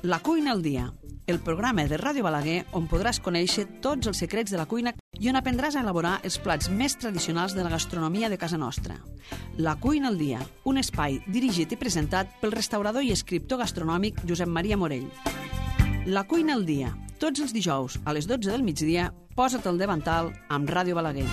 La cuina al dia, el programa de Ràdio Balaguer on podràs conèixer tots els secrets de la cuina i on aprendràs a elaborar els plats més tradicionals de la gastronomia de casa nostra. La cuina al dia, un espai dirigit i presentat pel restaurador i escriptor gastronòmic Josep Maria Morell. La cuina al dia, tots els dijous a les 12 del migdia, posa't al davantal amb Ràdio Balaguer.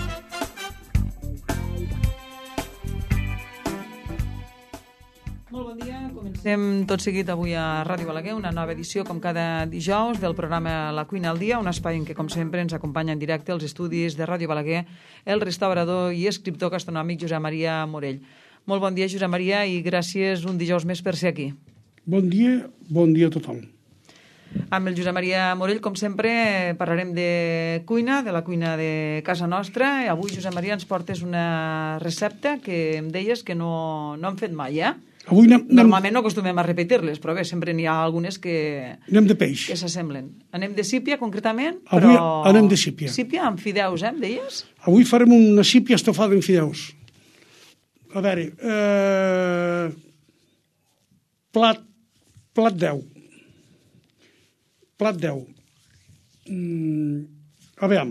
Molt bon dia, comencem tot seguit avui a Ràdio Balaguer, una nova edició com cada dijous del programa La cuina al dia, un espai en què com sempre ens acompanya en directe als estudis de Ràdio Balaguer el restaurador i escriptor gastronòmic Josep Maria Morell. Molt bon dia, Josep Maria, i gràcies un dijous més per ser aquí. Bon dia a tothom. Amb el Josep Maria Morell, com sempre, parlarem de cuina, de la cuina de casa nostra. Avui, Josep Maria, ens portes una recepta que em deies que no hem fet mai, eh? Normalment no acostumem a repetir-les, però bé, sempre n'hi ha algunes que... Anem de peix. Que s'assemblen. Anem de sípia, concretament, però... Avui anem de sípia. Sípia amb fideus, em deies? Avui farem una sípia estofada amb fideus. A veure... Plat 10. Plat 10. A veure...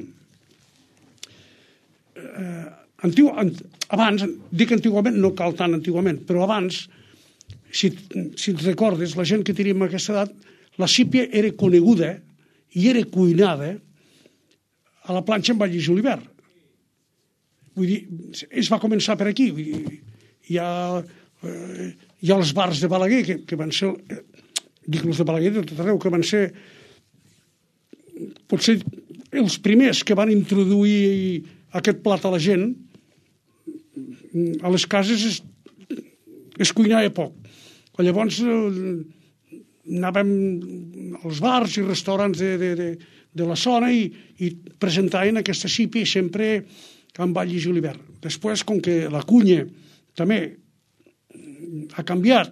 Abans, dic antigament, no cal tant antigament, però abans... Si et recordes, la gent que teníem a aquesta edat, la sípia era coneguda i era cuinada a la planxa amb all i julivert. Vull dir, es va començar per aquí. Vull dir, hi ha els bars de Balaguer, que van ser, dic els de Balaguer de tot arreu, que van ser potser els primers que van introduir aquest plat a la gent. A les cases es cuinava poc. Llavors anàvem als bars i restaurants de la zona i presentaven aquesta sípia sempre amb all i julivert. Després, com que la cuina també ha canviat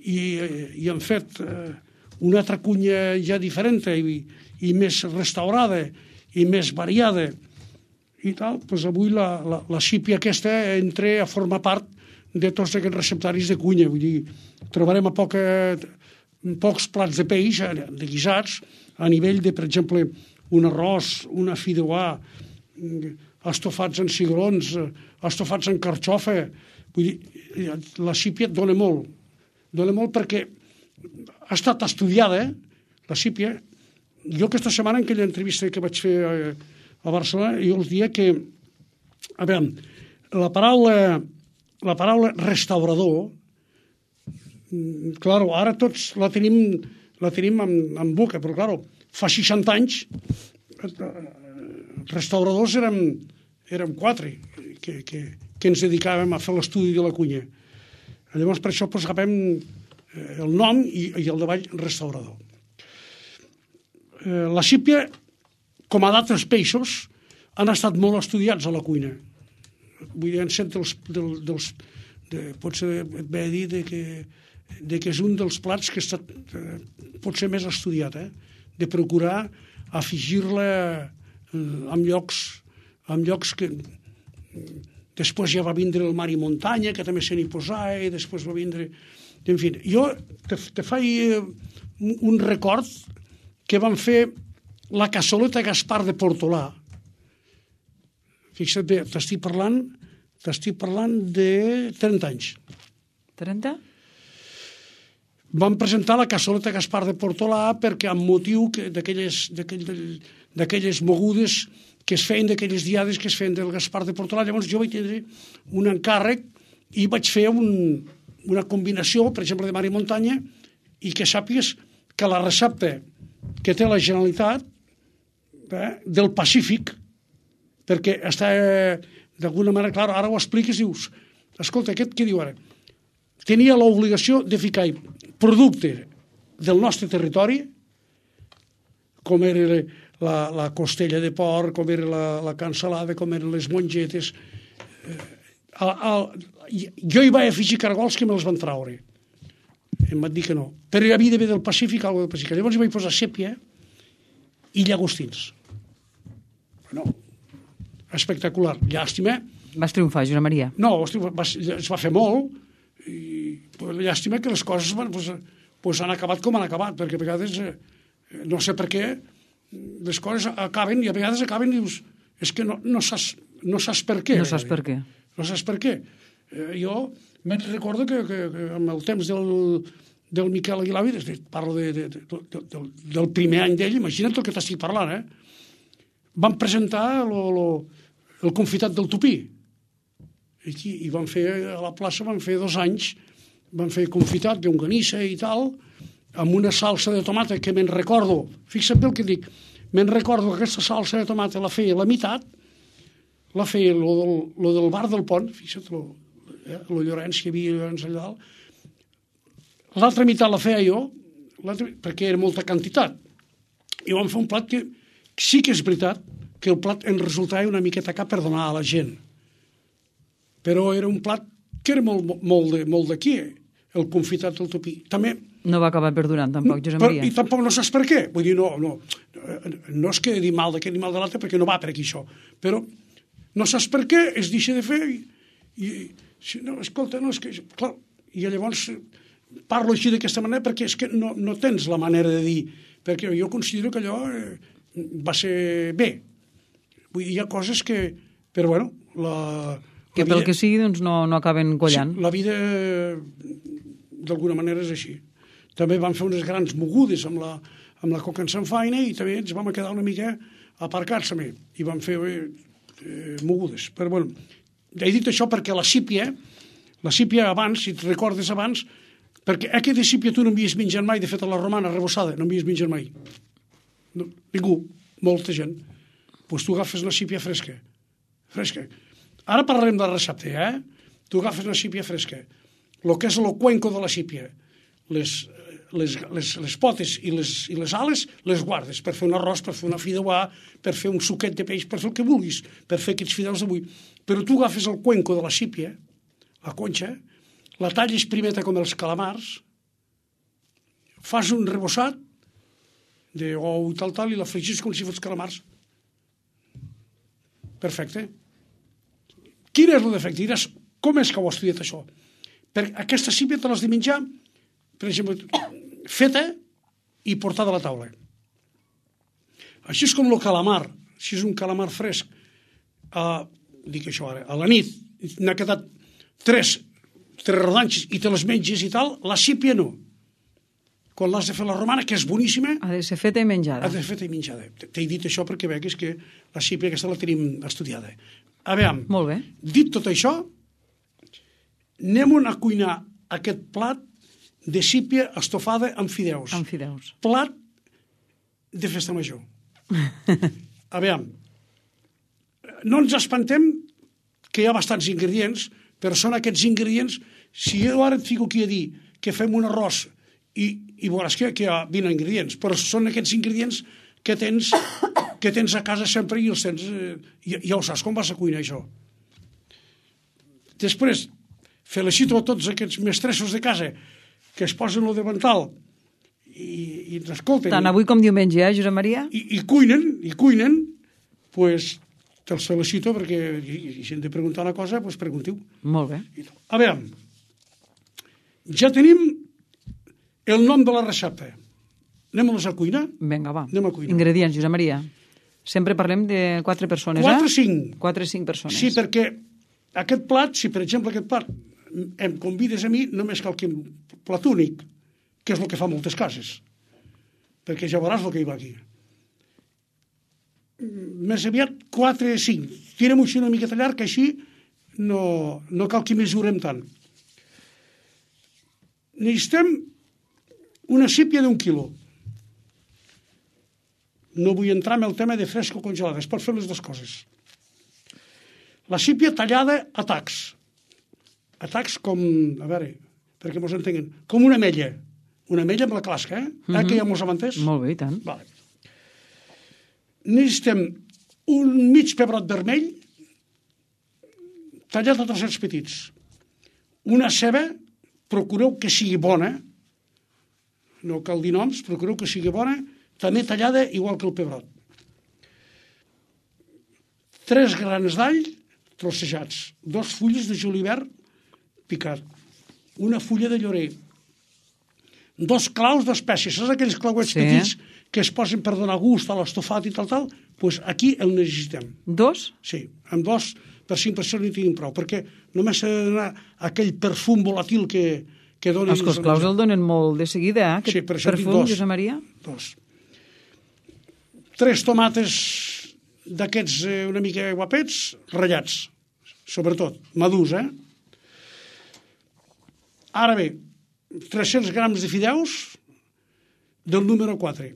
i han fet una altra cuina ja diferent i més restaurada i més variada i tal, doncs avui la sípia aquesta entra a formar part de tots aquests receptaris de cuina. Vull dir, trobarem pocs plats de peix, de guisats, a nivell de, per exemple, un arròs, una fideuà, estofats en cigrons, estofats en carxofa. Vull dir, la sípia dona molt. Dona molt perquè ha estat estudiada, la sípia. Jo aquesta setmana, en aquella entrevista que vaig fer a Barcelona, jo els dia que, a veure, la paraula restaurador, claro, ara tots la tenim en boca, però claro, fa 60 anys restauradors érem 4 que ens dedicàvem a fer l'estudi de la cuina. Llavors per això agafem el nom i el davall restaurador. La sípia, com a d'altres peixos, han estat molt estudiats a la cuina. Vull dir, en sent potser et ve a dir que és un dels plats que ha estat potser més estudiat, de procurar afegir-la en llocs que després ja va vindre el mar i muntanya, que també se n'hi posava, i després va vindre... En fi, jo te faig un record que van fer la cassoleta Gaspar de Portolà. Fixa't bé, t'estic parlant de 30 anys. 30? Vam presentar la cassoleta Gaspar de Portolà perquè amb motiu d'aquelles mogudes que es feien, d'aquelles diades que es feien del Gaspar de Portolà. Llavors jo vaig tindre un encàrrec i vaig fer una combinació, per exemple, de mar i muntanya, i que sàpigues que la recepta que té la Generalitat del Pacífic, perquè està d'alguna manera, clar, ara ho expliques i dius, escolta, aquest què diu ara? Tenia l'obligació de ficar producte del nostre territori, com era la costella de porc, com era la cansalada, com eren les mongetes. Jo hi vaig afegir cargols que me'ls van traure. Em van dir que no. Però hi havia d'haver del Pacífic, alguna del Pacífic. Llavors hi vaig posar sèpia i llagostins. Bueno, espectacular. Llàstima. Vas triomfar, Josep Maria. No, es va fer molt. I llàstima que les coses doncs han acabat com han acabat, perquè a vegades, no sé per què, les coses acaben i a vegades acaben i dius, és que no saps per què. No saps per què. No saps per què. Jo me'n recordo que en el temps del Miquel Aguilar, parlo del primer any d'ell, imagina't el que t'estic parlant, van presentar el confitat del tupí. I van fer, a la plaça, van fer 2 anys, van fer confitat de longanissa i tal, amb una salsa de tomata que me'n recordo, fixa't bé el que dic, me'n recordo que aquesta salsa de tomata la feia la meitat, la feia lo del bar del Pont, fixa't, lo Llorenç, que hi havia Llorenç allà dalt, l'altra meitat la feia jo, perquè era molta quantitat, i vam fer un plat que sí que és veritat que el plat en resultava una miqueta cap per donar a la gent, però era un plat que era molt d'aquí, el confitat del tupí. També no va acabar perdurant, tampoc, Josep Maria. I tampoc no saps per què. Vull dir, no és que dir mal d'aquest ni mal de l'altre, perquè no va per aquí això. Però no saps per què, es deixa de fer no, escolta, no, és que... Clar, i llavors parlo així d'aquesta manera perquè és que no tens la manera de dir, perquè jo considero que allò va ser bé. Vull dir, hi ha coses que... Però, bueno, que pel que sigui, doncs, no acaben quallant. Sí, la vida, d'alguna manera, és així. També vam fer unes grans mogudes amb la coca en sanfaina i també ens vam quedar una mica aparcats també i vam fer mogudes. Però, bueno, he dit això perquè la sípia abans, si et recordes abans, perquè aquesta sípia tu no havies menjat mai, de fet a la romana rebossada, no havies menjat mai. No, ningú, molta gent. Doncs tu agafes una sípia fresca. Ara parlarem de la recepta, Tu agafes una sípia fresca, el que és el cuenco de la sípia, les potes i les ales les guardes per fer un arròs, per fer una fideuà, per fer un suquet de peix, per fer el que vulguis, per fer aquests fideus d'avui. Però tu agafes el cuenco de la sípia, la conxa, la talles primeta com els calamars, fas un rebossat d'ou i tal, i la fregis com si fos calamars. Perfecte. Quin és el defecte? Diràs, com és que ho has estudiat això? Perquè aquesta sípia te l'has de menjar, per exemple, feta i portada a la taula. Així és com el calamar. Si és un calamar fresc, dic això ara, a la nit, n'ha quedat tres rodanxes i te les menges i tal, la sípia no. Quan l'has de fer la romana, que és boníssima... Ha de ser feta i menjada. Ha de ser feta i menjada. T'he dit això perquè vegues que la sípia aquesta la tenim estudiada. A veure, molt bé. Dit tot això, anem a cuinar aquest plat de sípia estofada amb fideus. Amb fideus. Plat de festa major. A veure, no ens espantem que hi ha bastants ingredients, però són aquests ingredients, si jo ara et fico aquí a dir que fem un arròs i veuràs que hi ha 20 ingredients, però són aquests ingredients que tens a casa sempre i els tens, ja ho saps com vas a cuinar això. Després, felicito a tots aquests mestressos de casa que es posen el davantal i ens escolten. Tant avui com diumenge, Josep Maria? I cuinen, pues te'ls felicito perquè si hem de preguntar una cosa, pues preguntiu. Molt bé. A veure, ja tenim el nom de la recepta. Anem a la cuina? Vinga, va. Anem a cuinar. Ingredients, Josep Maria. Sempre parlem de 4 persones, 4 o 5. 4 o 5 persones. Sí, perquè aquest plat, si per exemple aquest plat em convides a mi, només cal que plat únic, que és el que fa moltes cases. Perquè ja veuràs el que hi va aquí. Més aviat 4 o 5. Tirem-ho així una miqueta llarg, que així no cal que mesurem tant. Necessitem una sípia d'1 quilo. No vull entrar en el tema de fresca o congelada, es pot fer les dues coses. La sípia tallada a tacs. A tacs com, a veure, perquè mos entenguen, com una ametlla. Una ametlla amb la clasca, que ja mos hem entès? Molt bé, i tant. Vale. Necessitem un mig pebrot vermell tallat a trossets petits. Una ceba, procureu que sigui bona, no cal dir noms, procureu que sigui bona, també tallada igual que el pebrot. 3 grans d'all trossejats, 2 fulles de julivert picat, una fulla de llorer, 2 claus d'espècies. Saps aquells clauets petits que es posen per donar gust a l'estofat i tal? Doncs aquí el necessitem. 2? Sí, amb 2 per 5 persones n'hi tinguin prou, perquè només s'ha de donar aquell perfum volatil que donen... Els claus el donen molt de seguida, aquest perfum, Josep Maria? 2. 3 tomates d'aquests una mica guapets, ratllats, sobretot, madurs, Ara bé, 300 grams de fideus del número 4.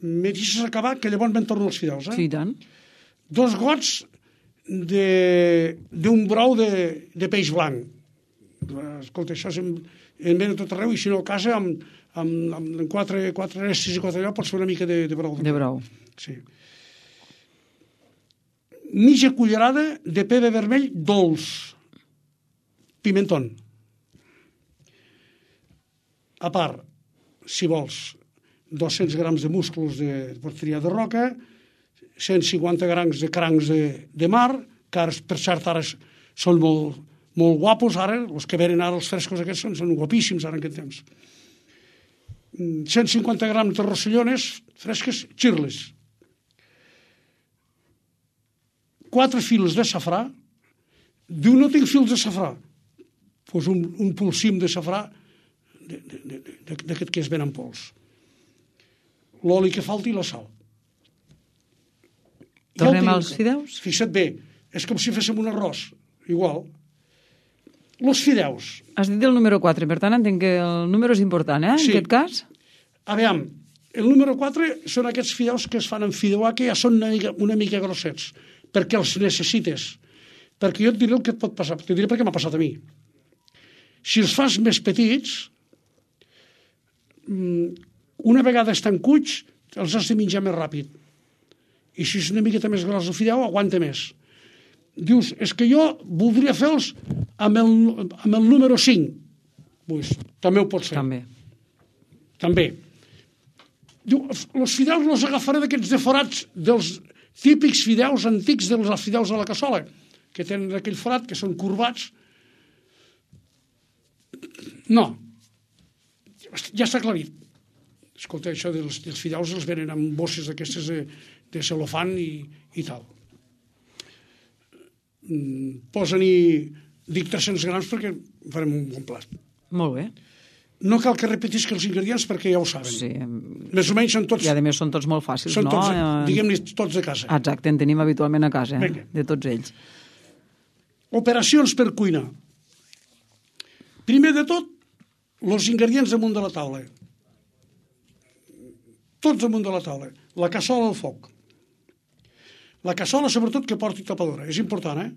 Me deixes acabar, que llavors me'n torno els fideus, Sí, tant. 2 gots d'un brou de peix blanc. Escolta, això en ven a tot arreu, i si no a casa, amb 4 restes i 4 allò, pots fer una mica de brou. De brou. Sí. Mitja cullerada de pebre vermell dolç. Pimentón. A part, si vols, 200 grams de músculs de porteria de roca, 150 grams de crancs de mar, que ara, per cert, ara són molt, molt guapos, ara, els que venen ara, els frescos aquests, són guapíssims ara en aquest temps. 150 grams de rossellones fresques, xirles. 4 fils de safrà. Diu, no tinc fils de safrà. Doncs un polsim de safrà d'aquest que es ven en pols. L'oli que falti i la sal. Tornem als fideus? Fixa't bé, és com si féssim un arròs, igual. Los fideus. Has dit el número 4, per tant entenc que el número és important, Sí. En aquest cas? Aviam, el número 4 són aquests fideus que es fan en fideuà, que ja són una mica grossets, perquè els necessites. Perquè jo et diré el que et pot passar, t'ho diré perquè m'ha passat a mi. Si els fas més petits, una vegada estan cuits, els has de menjar més ràpid. I si és una miqueta més gros el fideu, aguanta més. Dius, és que jo voldria fer-los amb el número 5. Pues, també ho pots fer. També. Diu, els fideus els agafaré d'aquests deforats dels típics fideus antics dels fideus de la cassola, que tenen aquell forat, que són corbats. No. Ja està aclarit. Escolta, això dels fideus els venen amb bosses d'aquestes de celofan i tal. Posa-n'hi, dic 300 grams perquè farem un bon plat. Molt bé. No cal que repetisca els ingredients perquè ja ho saben. Sí. Més o menys són tots... I a més són tots molt fàcils, són no? Tots, diguem-ne, tots de casa. Exacte, en tenim habitualment a casa, de tots ells. Operacions per cuina. Primer de tot, els ingredients damunt de la taula. Tots damunt de la taula. La cassola al foc. La cassola, sobretot, que porti tapadora. És important,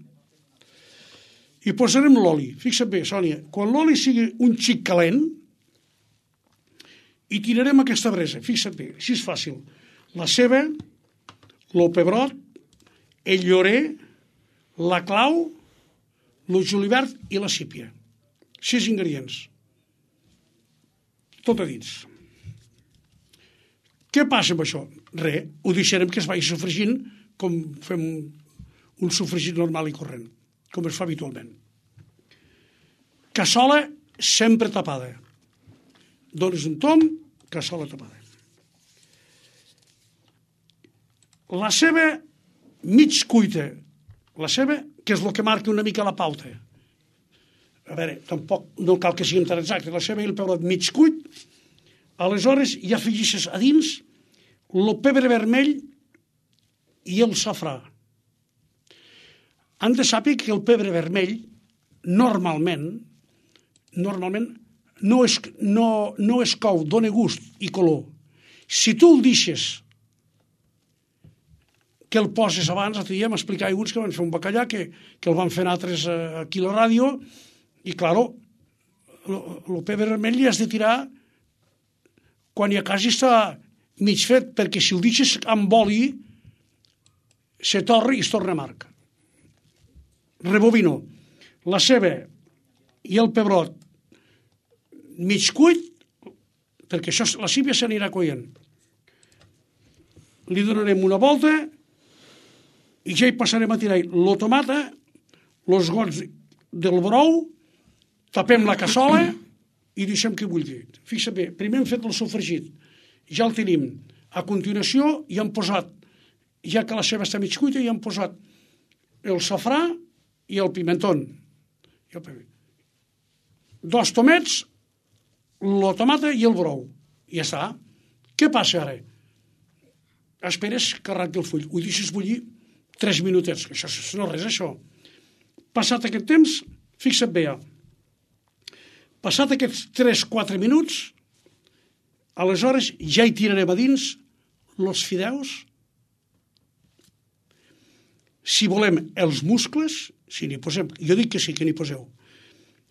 I posarem l'oli. Fixa't bé, Sònia, quan l'oli sigui un xic calent, i tirarem aquesta bresa. Fixa't bé, així és fàcil. La ceba, el pebrot, el llorer, la clau, el julivert i la sípia. 6 ingredients. Tot a dins. Què passa amb això? Res, ho deixarem que es vagi sofregint com fem un sofregit normal i corrent, com es fa habitualment. Cassola sempre tapada. Dones un tom, cassola tapada. La ceba mig cuita. La ceba, que és el que marca una mica la pauta. A veure, tampoc no cal que siguin tan exactes. La ceba i el pebrot mig cuit. Aleshores ja afegeixes a dins el pebre vermell i el safrà. Han de saber que el pebre vermell normalment no es cou, dona gust i color. Si tu el deixes que el poses abans, l'altre dia m'explicava uns que van fer un bacallà que el van fer altres aquí a la ràdio i, claro, el pebre vermell li has de tirar quan ja quasi està mig fet, perquè si el deixes amb oli se torra i es torna amarg. Rebobino. La ceba i el pebrot mig cuit, perquè això, la sípia s'anirà coient. Li donarem una volta i ja hi passarem a tirar la tomata, els gots del brou, tapem la cassola i deixem que bulli. Fixa't bé, primer hem fet el sofregit, ja el tenim. A continuació ja hem posat, ja que la ceba està mig cuita, ja hem posat el safrà i el pimentón. 2 tomats, la tomata i el brou. I ja està. Què passa ara? Esperes que arranqui el full. Ho deixes bullir 3 minutets. Això no és res, això. Passat aquest temps, fixa't bé. Passat aquests 3-4 minuts, aleshores ja hi tirarem a dins els fideus. Si volem els muscles, si n'hi posem, jo dic que sí, que n'hi poseu.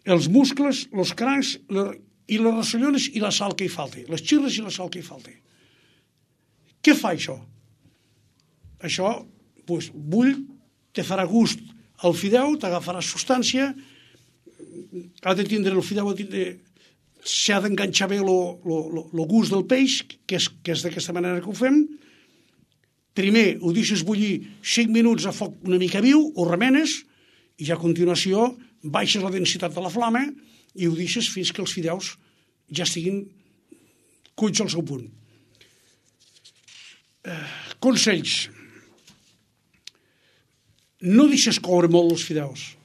Els muscles, els crancs i les rossellones i la sal que hi falti. Les xirres i la sal que hi falti. Què fa això? Això, doncs, bull, te farà gust al fideu, t'agafarà substància, ha de tindre el fideu, s'ha d'enganxar bé el gust del peix, que és d'aquesta manera que ho fem. Primer ho deixes bullir 5 minuts a foc una mica viu, ho remenes, i ja a continuació baixes la densitat de la flama i ho deixes fins que els fideus ja estiguin cuits al seu punt. Consells. No deixes coure molt els fideus.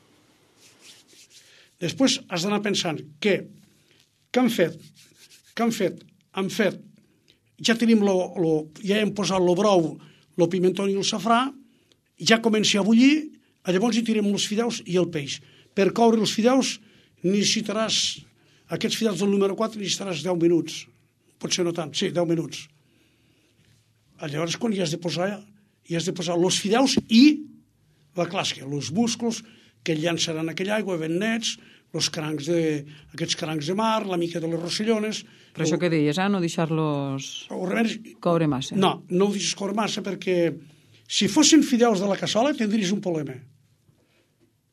Després has d'anar pensant què han fet? Ja tenim ja hem posat el brou, el pimentó i el safrà, ja comença a bullir, llavors hi tirem els fideus i el peix. Per coure els fideus necessitaràs, aquests fideus del número 4 necessitaràs 10 minuts. Potser no tant, sí, 10 minuts. Llavors quan hi has de posar els fideus i la clàssia, els musclos que llançaran aquella aigua ben nets, aquests crancs de mar, la mica de les rossellones. Per això que deies, no deixar-los coure massa. No ho deixes coure massa perquè si fossin fideus de la cassola tindries un problema.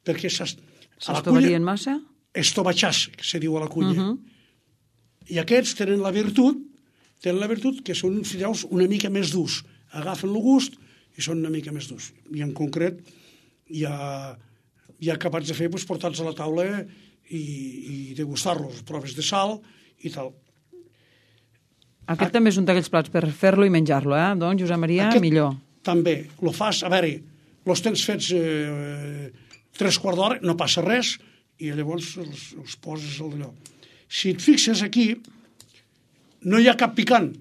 Perquè s'estovalien massa? Estovatxàs, que se diu a la culla. I aquests tenen la virtut que són fideus una mica més durs. Agafen el gust i són una mica més durs. I en concret ja acabats de fer, portar-los a la taula i degustar-los, proves de sal i tal. Aquest també és un d'aquells plats per fer-lo i menjar-lo, doncs, Josep Maria, millor. També, lo fas, a veure, els tens fets 3/4 d'hora, no passa res, i llavors els poses al d'allò. Si et fixes aquí, no hi ha cap picant.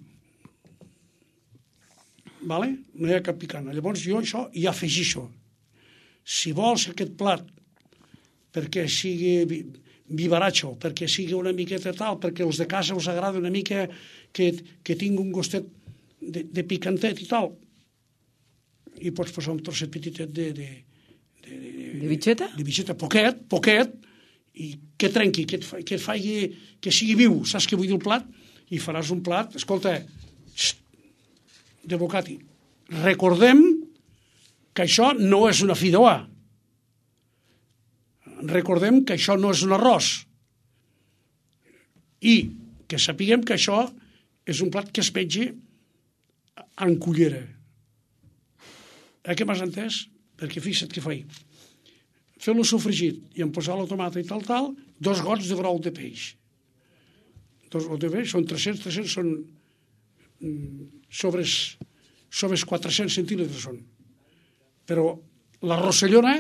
Vale? No hi ha cap picant. Llavors jo això hi afegixo. Si vols aquest plat perquè sigui vivaratxo, perquè sigui una miqueta tal, perquè els de casa us agrada una mica que tingui un gustet de picantet i tal, i pots posar un trosset petitet de bitxeta? De bitxeta, poquet, i que trenqui, que et faci, que sigui viu, saps què vull dir el plat? I faràs un plat, escolta, de bocati. Recordem que això no és una fideuà. Recordem que això no és un arròs. I que sapiguem que això és un plat que es menja en cullera. Què m'has entès? Perquè fixa't què faig. Fer-lo sofregit i en posar la tomata i tal, 2 gots de brou de peix. 2 gots de peix, són 300 són sobres 400 centímetres són. Però la rossellona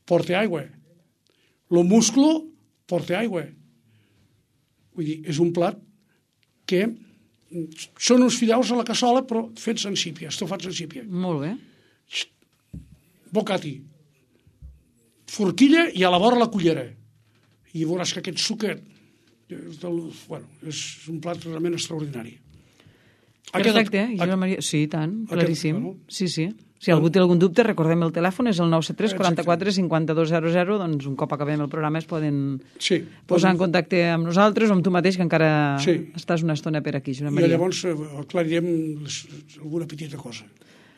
porta aigua. El musclo porta aigua. Vull dir, és un plat que són uns fideus a la cassola, però fets en sípia, estofats en sípia. Molt bé. Bocati. Forquilla i a la vora la cullera. I veuràs que aquest suquet és un plat realment extraordinari. Perfecte, Josep Maria. Sí, tant, claríssim. Sí. Si algú té algun dubte, recordem el telèfon, és el 973 44 52 00, doncs un cop acabem el programa es poden posar en contacte amb nosaltres o amb tu mateix, que encara estàs una estona per aquí, Josep Maria. I llavors aclarirem alguna petita cosa.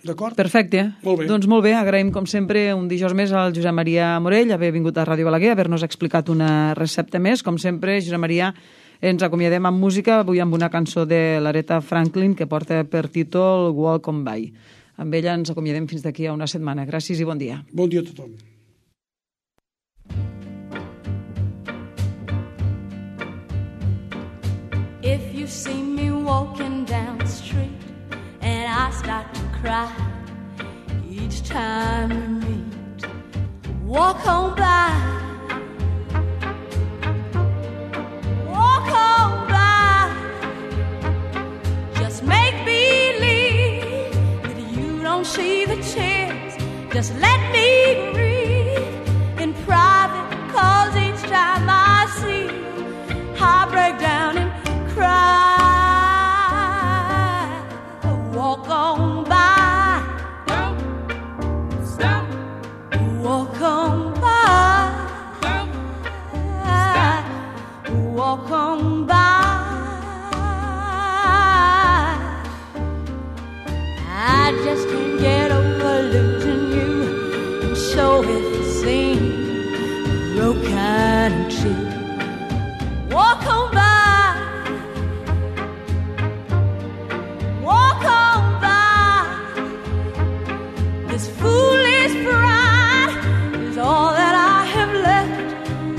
D'acord? Perfecte. Molt bé. Doncs molt bé, agraïm com sempre un dijous més al Josep Maria Morell haver vingut a Ràdio Balaguer, haver-nos explicat una recepta més. Com sempre, Josep Maria, ens acomiadem amb música, avui amb una cançó de l'Aretha Franklin que porta per títol Walk On By. Amb ella ens acomiadem fins d'aquí a una setmana. Gràcies i bon dia. Bon dia a tothom. If you see me walking down the street and I start to cry each time we meet, walk on by, walk on by. Just make believe that you don't see the tears. Just let me breathe in private, 'cause each time I see you, I break down and cry. Walk on by, don't stop. Walk on by, don't stop. Walk on by. I just can't get over losing you, and so it seems broken and true. Walk on by. All that I have left,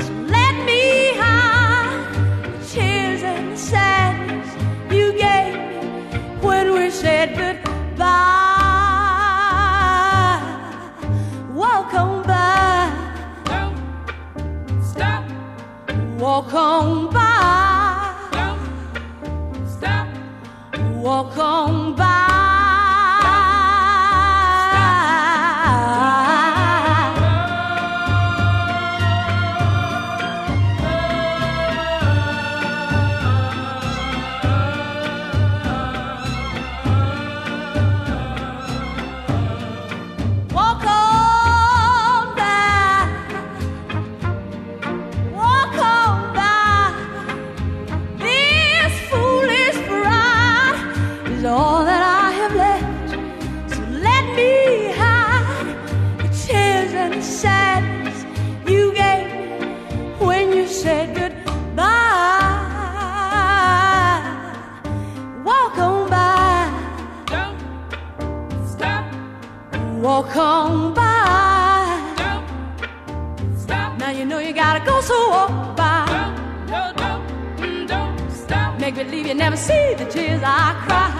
so let me hide the tears and the sadness you gave me when we said goodbye. Walk on by, don't stop. Walk on by, don't stop. Walk on by. All that I have left, so let me hide the tears and the sadness you gave me when you said goodbye. Walk on by, don't stop. Walk on by, don't stop. Now you know you gotta go, so walk by. Don't stop. Make believe you never see the tears I cry.